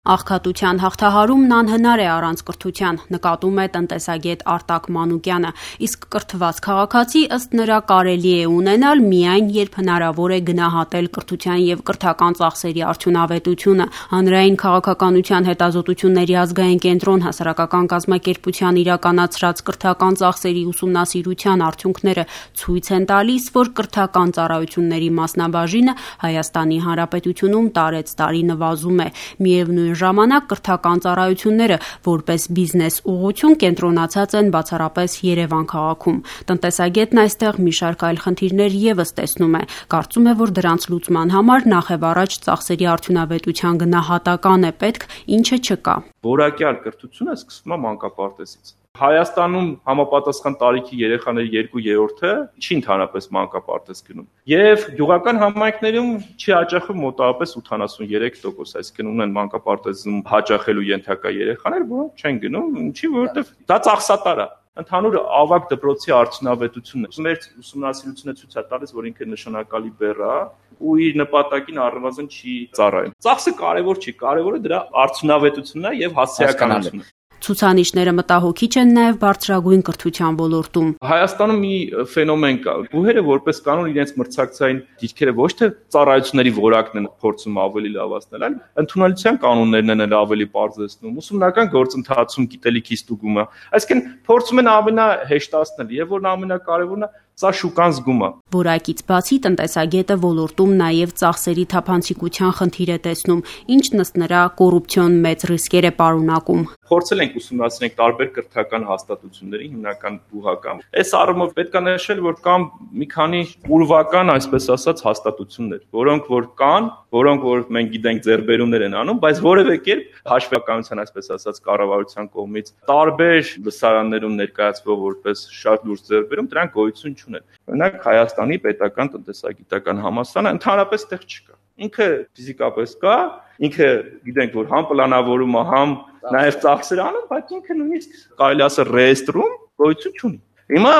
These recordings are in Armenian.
Աղքատության հաղթահարումն անհնար է առանց կրթության, նկատում է տնտեսագետ Արտակ Մանուկյանը, իսկ կրթված քաղաքացի ըստ նրա կարելի է ունենալ միայն, երբ հնարավոր է գնահատել կրթության և կրթական ծախսերի արդյունավետությունը։ Հանրային քաղաքականության հետազոտությունների ազգային կենտրոն հասարակական կազմակերպության իրականացրած կրթական ծախսերի ուսումնասիրության արդյունքները ցույց են տալիս, որ կրթական ծառայությունների մասնաբաժինը Հայաստանի Հանրապետությունում տարեցտարի նվազում է։ Միևնույն ժամանակ կրթական ծառայությունները որպես բիզնես ուղղություն կենտրոնացած են բացառապես Երևան քաղաքում։ Տնտեսագետն այստեղ մի շարք այլ խնդիրներ ևս տեսնում է։ Կարծում է, որ դրանց լուծման համար նախևառաջ ծախսերի արդյունավետության գնահատական է պետք, ինչը չկա։ Որակյալ կրթությունը սկսվում է մանկապարտեզից։ Հայաստանում համապատասխան տարիքի երեխաների 2/3-ը չի ընդհանրապես մանկապարտեզ գնում։ Եվ գյուղական համայնքներում չի հաճախում մոտավորապես 83%, այսինքն ունեն մանկապարտեզում հաճախելու ենթակա երեխաներ, որոնք չեն գնում, ինչի, որովհետև դա ծախսատար է։ Ընդհանուր ավագ դպրոցի արդյունավետությունն է։ Մեր ուսումնասիրությունը ցույց է տալիս, որ ինքը նշանակալի բեռ է ու իր նպատակին առնվազն չի ծառայում։ Ծախսը կարևոր չի, կարևորը դրա արդյունավետությունն է եւ հասարակականությունը։ Ցուցանիշները մտահոգիչ են նաև բարձրագույն կրթության ոլորտում։ Հայաստանում մի ֆենոմեն կա։ Բուհերը որպես կանոն իրենց մրցակցային դիրքերը ոչ թե ծառայությունների որակն են փորձում ավելի լավացնել, այլ ընդունելության կանոններն են ավելի պարզեցնում, ուսումնական գործընթացում գիտելիքի ստուգումը։ Այսինքն փորձում են ամենահեշտացնել եւ որն ամենակարևորն է, սա շուկան զգում է։ Որակից բացի տնտեսագետը ոլորտում նաև ծախսերի թափանցիկության խնդիր է տեսնում, ինչն ըստ նրա կոռուպցիոն մեծ ռիսկեր է պարունակում։ Փորձել ենք ուսումնասիրել տարբեր կրթական հաստատությունների, հիմնական բուհական։ Այս առումով պետք է նշել, որ կան մի քանի ուրվական, այսպես ասած, հաստատություններ, որոնք որ կան, որոնք որ մենք գիտենք ձեռբերումներ են անում, բայց որևէ կերպ հաշվետվության, այսպես ասած, կառավարության կողմից տարբեր լսարաններում ներկայացվող որպես շատ լուրջ ձեռբերում, դրանք գոյություն չունեն։ Օրինակ Հայաստանի պետական տնտեսագիտական համալսարանը ընդհանրապես տեղ չկա։ Ինքը ֆիզիկապես կա, ինքը գիտենք, որ համ պլանավորում է, համ նաև ծախսեր անում, բայց ինքը նույնիսկ կարելի ասել ռեեստրում գոյություն չունի։ Հիմա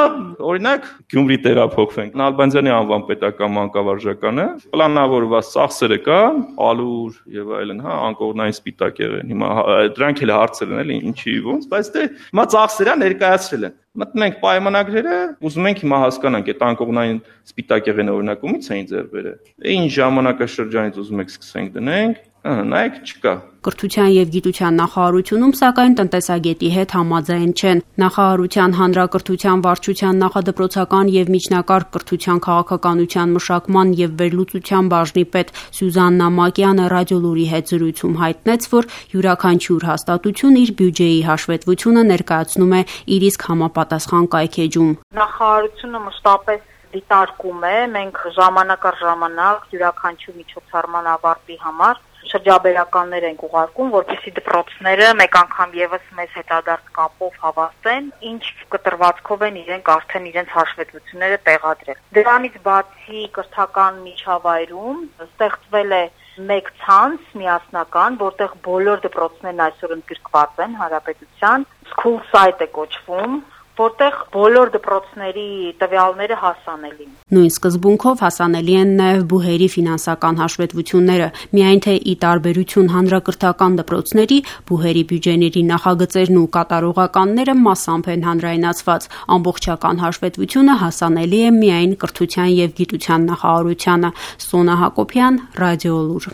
օրինակ Գյումրի տեղափոխվենք։ Նալբանդյանի անվան պետական մանկավարժականը պլանավորված ծախսերը կան, ալուր եւ այլն, անկողնային սպիտակ եղեն։ Հիմա դրանք էլ հարցեր են, էլի, ինչի ոնց, բայց դե հիմա ծախսերը ներկայացրել են։ Մտնում ենք պայմանագրերը, ուզում ենք հիմա հասկանանք, այդ անկողնային սպիտակ եղեն օրինակ ումից էին ձեռբերել։ Ինչ ժամանակաշրջանից ուզում եք սկսենք դնենք, նայեք չկա։ Կրթության և գիտության նախարարությունում, սակայն տնտեսագետի հետ համաձայն չեն։ Նախարարության հանրակրթության վարչության նախադպրոցական և միջնակարգ կրթության քաղաքականության մշակման և վերլուծության բաժնի պետ Սյուզաննա Մակյանը Ռադիոլուրի հետ զրույցում հայտնեց, որ յուրաքանչյուր հաստատություն իր բյուջեի հաշվետվությունը ներկայացնում է իր իսկ համապատասխան կայքէջում։ Նախարարությունը մշտապես դիտարկում է, մենք ժամանակ առ ժամանակ յուրաքանչյուր միջոցառման ավարտի համար շրջաբերականներ ենք ուղարկում, որպեսզի դպրոցները մեկ անգամ եւս մեզ հետադարձ կապով հավաստեն, ինչ կտրվածքով են իրենք արդեն իրենց հաշվետվությունները տեղադրել։ Դրանից բացի կրթական միջավայրում ստեղծվել է մեկ ցանց միասնական, որտեղ բոլոր դպրոցներն այսօր ընդգրկված են հանրապետության, School Site է կոչվում, որտեղ բոլոր դպրոցների տվյալները հասանելի են։ Նույն սկզբունքով հասանելի են նաև բուհերի ֆինանսական հաշվետվությունները, միայն թե ի տարբերություն հանրակրթական դպրոցների, բուհերի բյուջեների նախագծերն ու կատարողականները մասամբ են հանրայնացված, ամբողջական հաշվետվությունը հասանելի է միայն կրթության և գիտության նախարարությանը։ Սոնա Հակոբյան, Ռադիոլուր։